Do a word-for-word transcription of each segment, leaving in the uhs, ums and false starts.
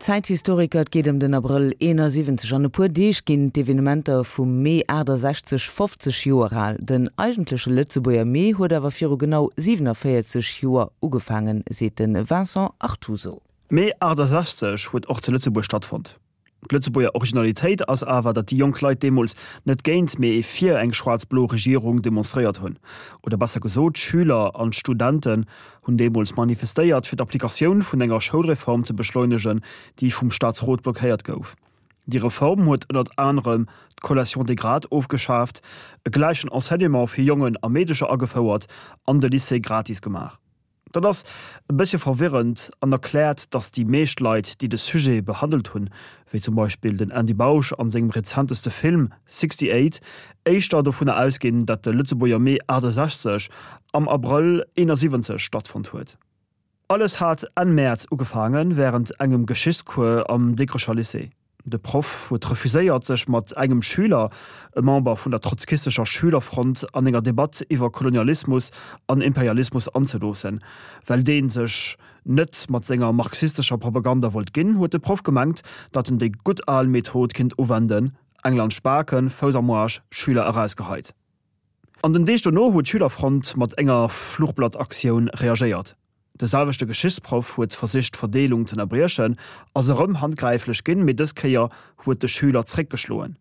Zäithistoriker, Et geet ëm den Abrëll eenasiwwenzeg. An e puer Deeg ginn d'Evenementer vum Mee aachtasechzeg fofzeg Joer al. Den eigentleche Lëtzebuerger Mee huet awer viru genau siwenavéierzeg Joer ugefaangen, seet de Vincent Artuso. Mee aachtasechzeg huet och zu Lëtzebuerg stattfonnt. D'Lëtzebuerger Originalitéit ass awer, datt déi jonk Leit deemools net géint, mee fir eng schwaarz-blo Regierung demonstréiert hunn. Oder besser gesot, d'Schüler an d'Studenten hunn deemools manifestéiert, fir d'Applikatioun vun enger Schoulreform ze beschleunegen, déi vum Staatsrot blockéiert gouf. Déi Reform huet ënnert anerem d'Collation des grades ofgeschaaft, e gläichen Enseignement fir Jongen a Meedecher agefouert an de Lycée gratis gemaach. Dat ass e bëssche verwirrend an erkläert, datt déi meescht Leit, déi de Sujet behandelt hunn, wéi zum Beispill den Andy Bausch an sengem rezenteste Film Sixty Eight, éischter dovunner ausginn, datt de Lëtzebuerger Mee achtesechzeg am Abrëll eenasiwwenzeg stattfonnt huet. Alles hat Enn Mäerz ugefaangen, wärend engem Geschichtscours am Dikrecher Lycée. De Proff huet refuséiert, sech mat engem Schüler, e Member vun der trotzkistescher Schülerfront, an enger Debatt iwwer Kolonialismus an Imperialismus anzeloossen. Well dee sech net mat senger marxistescher Propaganda wollt ginn, huet de Proff gemengt, datt en déi gutt al Method kinnt uwenden, Eng laanscht d'Baken, Fouss am Aarsch, Schüler erausgeheit. An den Deeg dono huet d'Schülerfront mat enger Fluchblattaktioun reagéiert. De selwechte Geschichtsproff huet versicht d'Verdeelung z'ënnerbriechen, ass erëm handgräiflech ginn, mee dës Kéier huet de Schüler zréckgeschloen.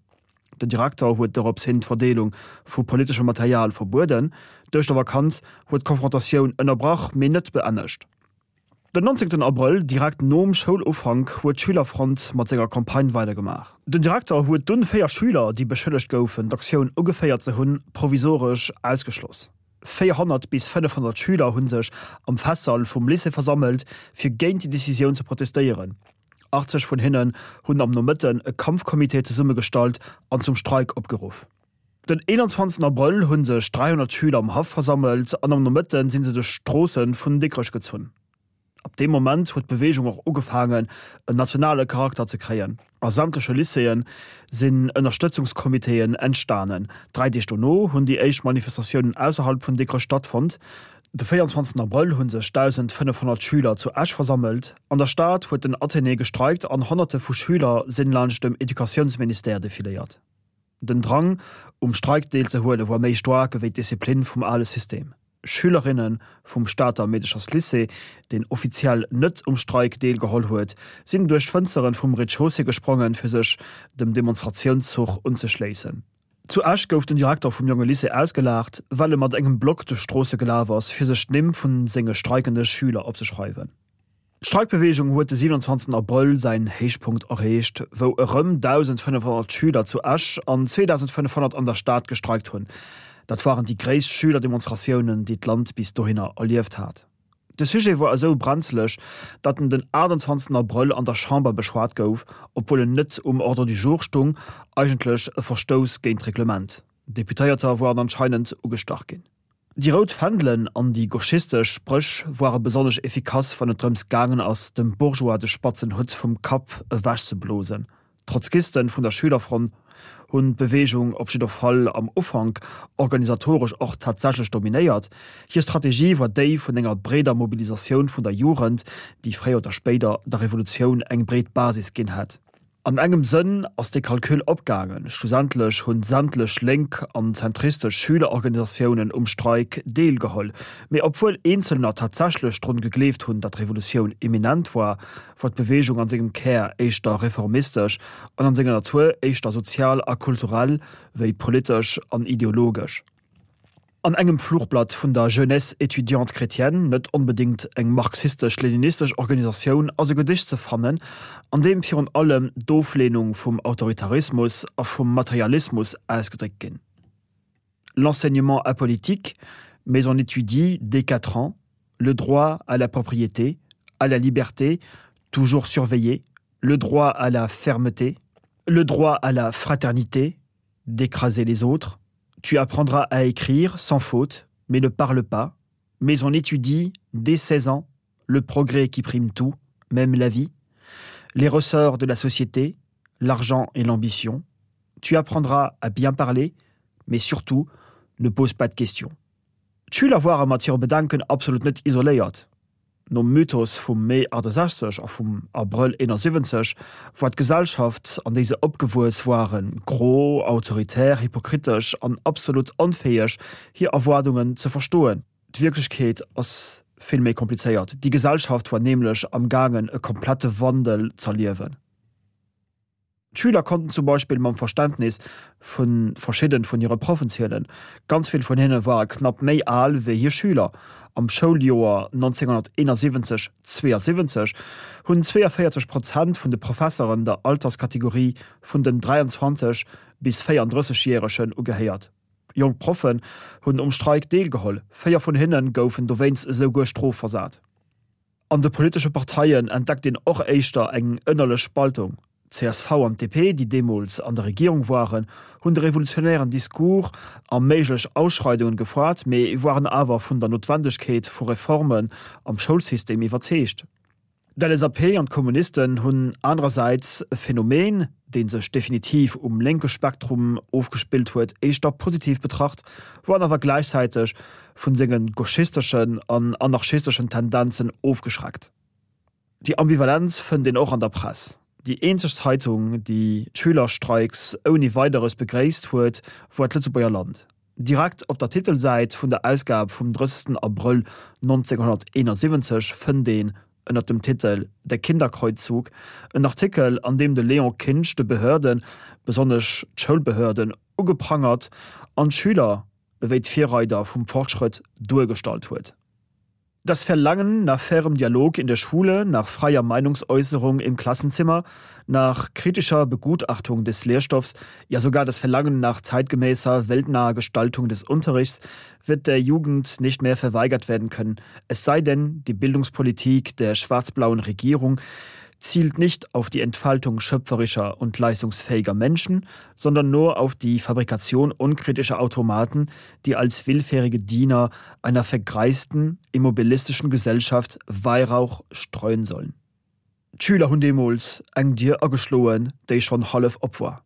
Den Direkter huet dorops hin d'Verdeelung vu politeschem Material verbueden. D'Ouschtervakanz huet d'Konfrontatioun ënnerbrach, mee net beennegt. Den nonzéngten Abrëll, direkt nom Schoulufank, huet d'Schülerfront mat senger Campagne weidergemaach. Den Direkter huet dunn véier Schüler, déi beschëllegt goufen, d'Aktioun ugeféiert ze hunn, provisoresch ausgeschloss. véierhonnert bis fënnefhonnert Schüler hu sech am Festsall vum Lycée versammelt, fir géint déi Decisioun ze protestéieren. achtzeg vun hinnen hunn am Nomëtten e Kampfcomité zesummegestallt an zum Streik opgeruff. Den eenanzwanzegsten Abrëll hu sech dräihonnert Schüler am Haff versammelt an am Nomëtte si se duerch d'Stroosse vun Dikrech gezunn. Ab deem Moment huet d'Beweegung och ugefaangen, en nationale Charakter ze kréien. A sämtleche Lycéeë sinn Ënnerstëtzungscomitéen entstanen. Dräi Deeg dono hunn déi éischt Manifestatiounen ausserhalb vun Dikrech stattfonnt. De véierundzwanzegsten Abrëll hu sech dausendfënnefhonnert Schüler zu Esch versammelt. An der Stad huet den Athénée gestreikt an Honnerte vu Schüler sinn laanscht dem Educatiounsministère defiléiert. Den Drang, um Streik deelzehuele war méi staark ewéi d'Disziplin vum ale System. Schülerinne vum Stater Meedecherslycée, deen offiziell net um Streik deelgeholl huet, sinn duerch d'Fënsteren vum Rez-de-chaussée gesprongen, fir sech dem Demonstratiounszuch unzeschléissen. Zu Esch gouf den Direkter vum Jongelycée ausgelaacht, well e mat engem Block duerch d'Stroosse gelaf ass, fir sech d'Nimm vu senge streikende Schüler opzeschreiwen. D'Streikbeweegung huet de siewenundzwanzegsten Abrëll säin Héichpunkt erreecht, wou erëm dausendfënnefhonnert Schüler zu Esch an zweedausendfënnefhonnert an der Stad gestreikt hunn. Dat waren déi gréisst Schülerdemonstratiounen, déi d'Land bis dohinner erlieft hat. De Sujet war esou brenzeleg, datt en den aachtenzwanzegsten Abrëll an der Chamber beschwat gouf, obwuel en net um Ordre du jour stung, eigentlech e Verstouss géint d'Reglement. Deputéierter waren anscheinend ugestach ginn. Déi rout Fändelen an déi gauchistesch Spréch ware besonnesch efficace, wann et drëms gaangen ass, dem Bourgeois de spatzen Hutt vum Kapp ewechzeblosen. D'Trotzkisten vun der Schülerfront hunn d'Beweegung op jidder Fall am Ufank organisatoresch och tatsächlech dominéiert. Hir Strategie war déi vun enger breeder Mobilisatioun vun der Jugend, déi fréier oder spéider der Revolutioun eng breet Basis ginn hätt. An engem Sënn ass dee Calcul opgaangen, schlussendlech hunn sämtlech lénk an zentristesch Schülerorganisatiounen um Streik deelgeholl. Mee obwuel eenzelner tatsächlech drun gegleeft hunn, datt d'Revolutioun imminent war, war d'Beweegung an sengem Kär éischter reformistesch an an senger Natur éischter sozial a kulturell wéi politesch an ideologesch. An engem Fluchblatt vun der Jeunesse étudiante chrétienne, net onbedéngt eng marxistesch-leninistesch Organisatioun, ass e Gedicht ze fannen, an deem virun allem d'Ofleenung vum Autoritarismus a vum Materialismus ausgedréckt ginn. L'enseignement apolitique, mais on étudie dès quatre ans le droit à la propriété, à la liberté, toujours surveillé, le droit à la fermeté, le droit à la fraternité, d'écraser les autres. Tu apprendras à écrire sans faute, mais ne parle pas. Mais on étudie, dès seize ans, le progrès qui prime tout, même la vie, les ressorts de la société, l'argent et l'ambition. Tu apprendras à bien parler, mais surtout, ne pose pas de questions. D'Schüler ware mat hire Bedenken absolut net isoléiert. Nom Mythos vum Mee achtasechzeg a vum Abrëll eenasiwwenzeg war d'Gesellschaft, an déi se opgewuess waren, gro, autoritär, hypokritesch an absolut onfäeg, hir Erwaardungen ze verstoen. D'Wierklechkeet ass vill méi komplizéiert. Déi Gesellschaft war nämlech am gaangen, e komplette Wandel z'erliewen. D'Schüler konnten zum Beispill mam Verständnis vu verschidde vun hire Proffen zielen. Ganz vill vun hinne ware knapp méi al wéi hir Schüler. Am Schouljoer neunzehnhunderteenundsiwwenzeg, zweeënsiwwenzeg hunn zweeënvéierzeg Prozent vun de Professeren der Alterskategorie vun den dräianzwanzeg bis véierunddrësseg Järegen ugehéiert. Jonk Proffen hunn um Streik deelgeholl, véier vun hinne goufen dowéinst esouguer strofversat. An de politesche Parteien entdeckt een och éischter eng ënnerlech Spaltung. D'C S V an d'D P, déi deemools an der Regierung waren, hunn de revolutionären Discours a méiglech Ausschreidungen gefaart, mee waren awer vun der Noutwendegkeet vu Reformen am Schoulsystem iwwerzeegt. D'L S A P an d'Kommunisten hunn anerersäits e Phänomen, dee sech definitiv um lénke Spektrum ofgespillt huet, éischter positiv betracht, waren awer gläichzäiteg vu senge gauchisteschen an anarchisteschen Tendenzen ofgeschreckt. Déi Ambivalenz fënnt een och an der Press. Déi eenzeg Zeitung, déi d'Schülerstreiks ouni Weideres begréisst huet, war d'Lëtzebuerger Land. Direkt op der Titelsäit vun der Ausgab vum drëssegsten Abrëll neunzehnhunderteenundsiwwenzeg fënnt een ënner dem Titel Der Kinderkreuzzug en Artikel, an deem de Léon Kinsch de Behörden, besonnesch d'Schoulbehörden, ugeprangert an d'Schüler ewéi d'Virreider vum Fortschrëtt duergestallt huet. Das Verlangen nach fairem Dialog in der Schule, nach freier Meinungsäußerung im Klassenzimmer, nach kritischer Begutachtung des Lehrstoffs, ja sogar das Verlangen nach zeitgemäßer, weltnaher Gestaltung des Unterrichts wird der Jugend nicht mehr verweigert werden können, es sei denn, die Bildungspolitik der schwarz-blauen Regierung zielt nicht auf die Entfaltung schöpferischer und leistungsfähiger Menschen, sondern nur auf die Fabrikation unkritischer Automaten, die als willfährige Diener einer vergreisten, immobilistischen Gesellschaft Weihrauch streuen sollen. D'Schüler hunn deemools eng Dier ageschloen, déi schonn hallef op war.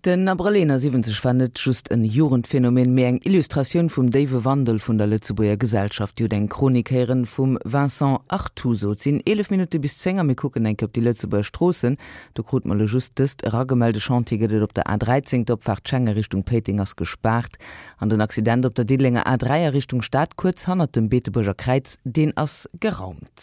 Den Abrëll eenasiwwenzeg war net just en Jugendphänomen, mee eng Illustratioun vum déiwe Wandel vun der Lëtzebuerger Gesellschaft. Dir hutt eng Chronik héieren vum Vincent Artuso. Et sinn eelef Minutte bis zéng a mir kucken eng Kéier op déi Lëtzebuerger Stroossen. Do krute mer elo just dëst eragemellt, E Chantier gëtt et op der A dräizéng, d'Opfaart Schengen Richtung Péiteng ass gespaart. An den Accident op der Diddelenger A dräi a Richtung Stad kuerz hannert dem Beetebuerger Kräiz, deen ass geraumt.